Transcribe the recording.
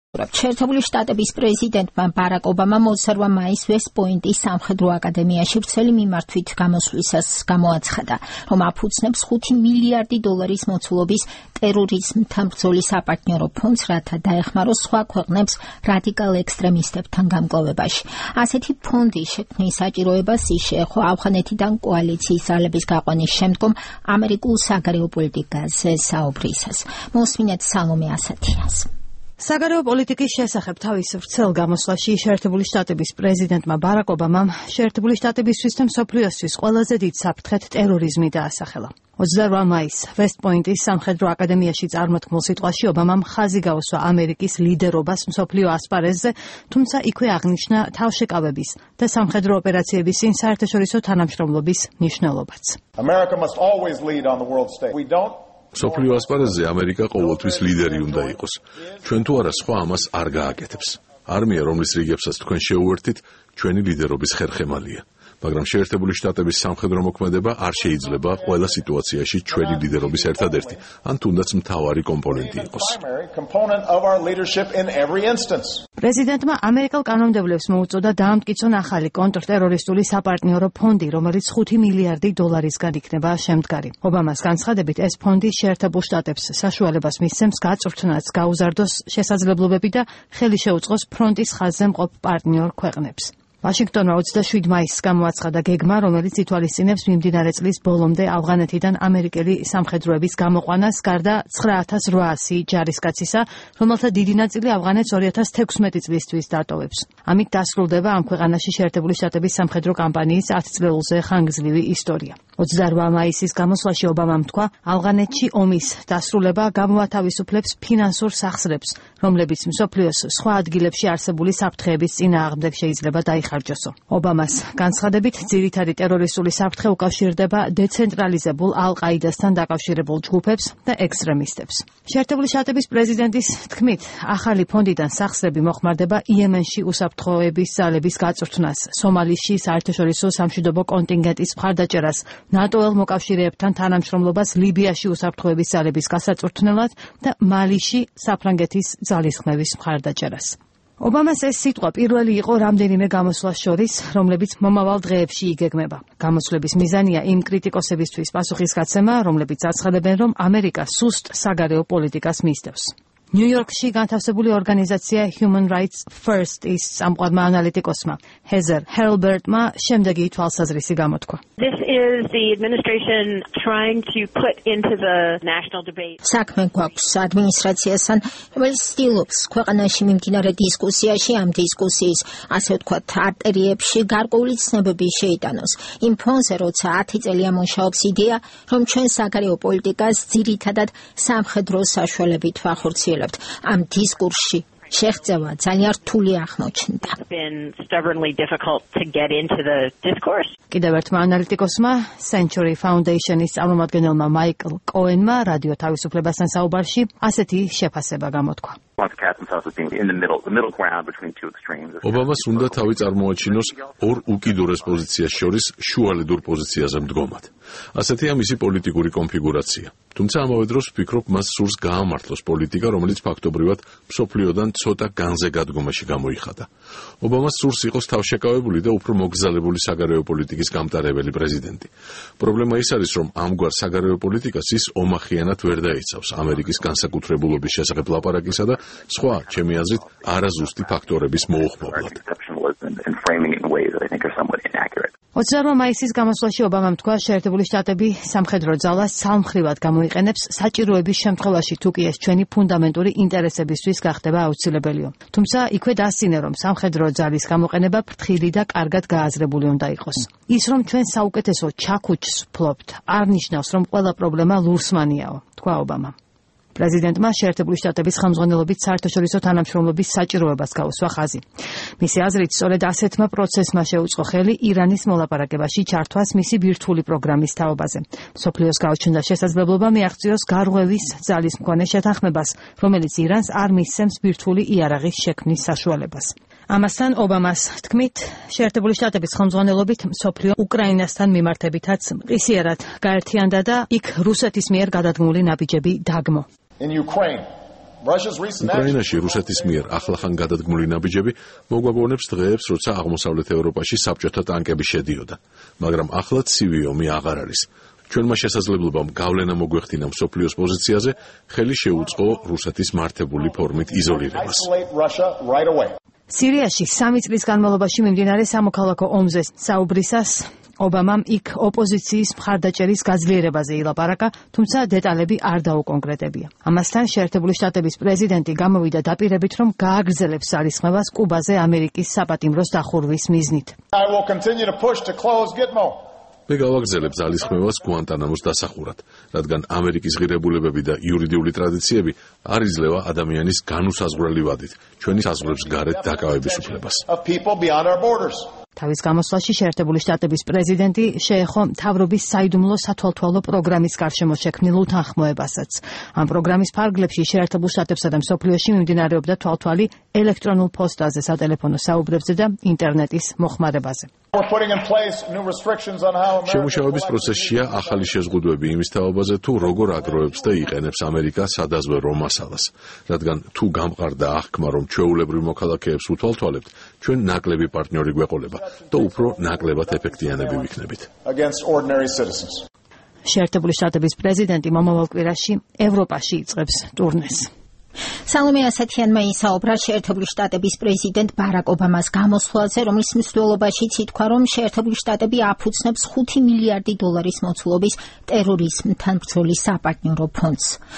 შეერთებული შტატების პრეზიდენტმა ბარაკ ობამამ 22 მაისს ვესტ-პოინტის სამხედრო აკადემიაში ვრცელი მიმართვით გამოსვლისას გამოაცხადა, რომ აფუძნებს $5 მილიარდი მოცულობის ტერორიზმთან ბრძოლის საპარტნიორო ფონდს, რათა დაეხმაროს სხვა ქვეყნებს რადიკალ ექსტრემისტებთან გამკლავებაში. ასეთი ფონდის შექმნის საჭიროებას ის შეეხო ავღანეთიდან კოალიციის ძალების გაყვანის შემდგომ ამერიკულ საგარეო პოლიტიკაზე საუბრისას. მოსმინეთ სალომე ასათიანს. საგარეო პოლიტიკის შესახებ თავის ვრცელ გამოსვლაში შეერთებული შტატების პრეზიდენტმა ბარაკ ობამამ შეერთებული შტატებისთვის და მსოფლიოსთვის ყველაზე დიდ საფრთხედ ტერორიზმი დაასახელა. 28 მაისს ვესტ-პოინტის სამხედრო აკადემიაში წარმოთქმულ სიტყვაში ობამამ ხაზი გაუსვა ამერიკის ლიდერობას მსოფლიო ასპარეზზე, თუმცა იქვე აღნიშნა თავშეკავების და სამხედრო ოპერაციების წინ საერთაშორისო თანამშრომლობის მნიშვნელობაც. მსოფლიო ასპარეზზე ამერიკა ყოველთვის ლიდერი უნდა იყოს. ჩვენ თუ არა სხვა ამას არ გააკეთებს. არმია, რომლის რიგებსაც თქვენ შეუერთით, ჩვენი ლიდერობის ხერხემალია. მაგრამ შეერთებული შტატების სამხედრო მოქმედება არ შეიძლება ყველა სიტუაციაში ჩვენი ლიდერობის ერთადერთი, ან თუნდაც მთავარი კომპონენტი იყოს. პრეზიდენტმა ამერიკელ კანონმდებლებს მოუწოდა დაამტკიცონ ახალი კონტრტერორისტული საპარტნიორო ფონდი, რომელიც $5 მილიარდისგან იქნება შემდგარი. ობამას განცხადებით, ეს ფონდი შეერთებულ შტატებს საშუალებას მისცემს გაწვრთნას, გაუზარდოს შესაძლებლობები და ხელი შეუწყოს ფრონტის ხაზზე მყოფ პარტნიორ ქვეყნებს. ვაშინგტონმა 27 მაისს გამოაცხადა გეგმა, რომელიც ითვალისწინებს მიმდინარე წლის ბოლომდე ავღანეთიდან ამერიკელი სამხედროების გამოყვანას, გარდა 9800 ჯარისკაცისა, რომელთა დიდი ნაწილი ავღანეთს 2016 წლისთვის დატოვებს. ამით დასრულდება ამ ქვეყანაში შეერთებული შტატების სამხედრო კამპანიის 10 წლეულზე ხანგრძლივი ისტორია. 28 მაისის გამოსვლაში ობამამ თქვა, ავღანეთში ომის დასრულება გამოათავისუფლებს ფინანსურ სახსრებს, რომლებიც მსოფლიოს სხვა ადგილებში არსებული საფრთხეების წინააღმდეგ შეიძლება დაიხარჯოსო. ობამას განცხადებით, ძირითადი ტერორისტული საფრთხე უკავშირდება დეცენტრალიზებულ ალ-ყაიდასთან დაკავშირებულ ჯგუფებს და ექსტრემისტებს. შეერთებული შტატების პრეზიდენტის თქმით, ახალი ფონდიდან სახსრები მოხმარდება იემენში უსაფრთხოების ძალების გაწვრთნას, სომალიში საერთაშორისო სამშვიდობო კონტინგენტის მხარდაჭერას, ნატოელ მოკავშირეებთან თანამშრომლობას ლიბიაში უსაფრთხოების ძალების გასაწვრთნელად და მალიში საფრანგეთის ძალისხმევის მხარდაჭერას. ობამას ეს სიტყვა პირველი იყო რამდენიმე გამოსვლას შორის, რომლებიც მომავალ დღეებში იგეგმება. გამოსვლების მიზანია იმ კრიტიკოსებისთვის პასუხისგაცემა, რომლებიც აცხადებენ, რომ ამერიკა სუსტ საგარეო პოლიტიკას მისდევს. ნიუ-იორკში განთავსებული ორგანიზაცია Human Rights First is სამყარომა ანალიტიკოსმა ჰეზერ ჰერლბერტმა შემდეგი თვალსაზრისი გამოთქვა. This is the administration trying to put into the national debate. საქმე გვაქვს ადმინისტრაციასთან, რომელიც ცდილობს ქვეყანაში მიმდინარე დისკუსიაში ამ დისკუსიის, ასე ვთქვათ, არტერიებში გარკვეული ცნებები შეიტანოს. იმ ფონზე, როცა 10 წელია მუშაობს იდეა, რომ ჩვენ საგარეო პოლიტიკას ძირითადად სამხედრო საშუალებით ვახორციელებთ. ამ დისკურსში შეღწევა ძალიან რთული აღმოჩნდა. კიდევ ერთმა ანალიტიკოსმა, Century Foundation-ის წარმომადგენელმა მაიკლ კოენმა რადიო თავისუფლებასთან საუბარში ასეთი შეფასება გამოთქვა. ობამას უნდა თავი წარმოაჩინოს ორ უკიდურეს პოზიციას შორის შუალედურ პოზიციაზე მდგომად. ასეთია მისი პოლიტიკური კონფიგურაცია. თუმცა ამავე დროს ვფიქრობ, მას სურს გაამართლოს პოლიტიკა, რომელიც ფაქტობრივად მსოფლიოდან ცოტა განზე გადგომაში გამოიხადა. ობამას სურს იყოს თავშეკავებული და უფრო მოგზალებული საგარეო პოლიტიკის გამტარებელი პრეზიდენტი. პრობლემა ის არის, რომ ამგვარ საგარეო პოლიტიკას ის ომახიანად ვერ დაიცავს ამერიკის განსაკუთრებულობის შესახებ ლაპარაკისა და სხვა, ჩემი აზრით, არაზუსტი ფაქტორების მოუხმობლად. 28 მაისის გამოსვლაში ობამამ თქვა, შეერთებული შტატები სამხედრო ძალას ცალმხრივად გამოიყენებს საჭიროების შემთხვევაში, თუ კი ეს ჩვენი ფუნდამენტური ინტერესებისთვის გახდება აუცილებელია. თუმცა იქვე დასწინა, რომ სამხედრო ძალის გამოყენება ფრთხილი და კარგად გააზრებული უნდა იყოს. ის, რომ ჩვენ საუკეთესო ჩაქუჩს ვფლობთ, არ ნიშნავს, რომ ყველა პრობლემა ლურსმანიაო, თქვა ობამა. პრეზიდენტმა შეერთებული შტატების ხელმძღვანელობით საერთაშორისო თანამშრომლობის საჭიროებას გაუსვა ხაზი. მისი აზრით, სწორედ ასეთმა პროცესმა შეუწყო ხელი ირანის მოლაპარაკებაში ჩართვას მისი ბირთვული პროგრამის თაობაზე. მსოფლიოს გაუჩნდა შესაძლებლობა მიაღწიოს გარღვევის ძალის მქონე შეთანხმებას, რომელიც ირანს არ მისცემს ბირთვული იარაღის შექმნის საშუალებას. ამასთან ობამას თქმით, შეერთებული შტატების ხელმძღვანელობით მსოფლიო უკრაინასთან მიმართებითაც მყისიერად გაერთიანდა და იქ რუსეთის მიერ გადადგმული ნაბიჯები დაგმო. In Ukraine, უკრაინაში რუსეთის მიერ ახლახან გადადგმული ნაბიჯები მოგვაგონებს დღეებს, როცა აღმოსავლეთ ევროპაში საბჭოთა ტანკები შედიოდა, მაგრამ ახლა ცივი ომი აღარ არის. ჩვენმა შესაძლებლობამ გავლენა მოგვეხდინა მსოფლიოს პოზიციაზე, ხელი შეუწყო რუსეთის მართებული ფორმით იზოლირებას. სირიაში 3 წლის განმავლობაში მიმდინარე სამოქალაქო ომზე საუბრისას ობამამ იქ ოპოზიციის მხარდაჭერის გაძლიერებაზე ილაპარაკა, თუმცა დეტალები არ დაუკონკრეტებია. ამასთან შეერთებული შტატების პრეზიდენტი გამოვიდა დაპირებით, რომ გააგრძელებს ძალისხმევას კუბაზე ამერიკის საპატიმროს დახურვის მიზნით. მე გავაგრძელებ ძალისხმევას გუანტანამოს დასახურად, რადგან ამერიკის ღირებულებები და იურიდიული ტრადიციები არ იძლევა ადამიანის განუსაზღვრელი ვადით ჩვენი საზღვრებს გარეთ დაკავების უფლებას. თავის გამოსვლაში შეერთებული შტატების პრეზიდენტი შეეხო მთავრობის საიდუმლო სათვალთვალო პროგრამის გარშემო შექმნილ უთანხმოებასაც. ამ პროგრამის ფარგლებში შეერთებულ შტატებსა და მსოფლიოში მიმდინარეობდა თვალთვალი ელექტრონულ პოსტაზე, სატელეფონო საუბრებზე და ინტერნეტის მოხმარებაზე. შემუშავების პროცესშია ახალი შეზღუდვები იმის თაობაზე, თუ როგორ აგროვებს და იყენებს ამერიკა სადაზვერვო მასალას, რადგან თუ გამყარდა აღქმა, რომ ჩვეულებრივ მოქალაქეებს უთვალთვალებთ, ჩვენ ნაკლები პარტნიორი გვეყოლება და უფრო ნაკლებად ეფექტიანები ვიქნებით. შეერთებული შტატების პრეზიდენტი მომავალ კვირაში ევროპაში იწყებს ტურნეს. სალომე ასათიანმა ისაუბრა შეერთებული შტატების პრეზიდენტ ბარაკ ობამას გამოსვლაზე, რომლის მსვლელობაშიც ითქვა, რომ შეერთებული შტატები აფუძნებს $5 მილიარდი მოცულობის ტერორიზმთან ბრძოლის საპარტნიორო ფონდს.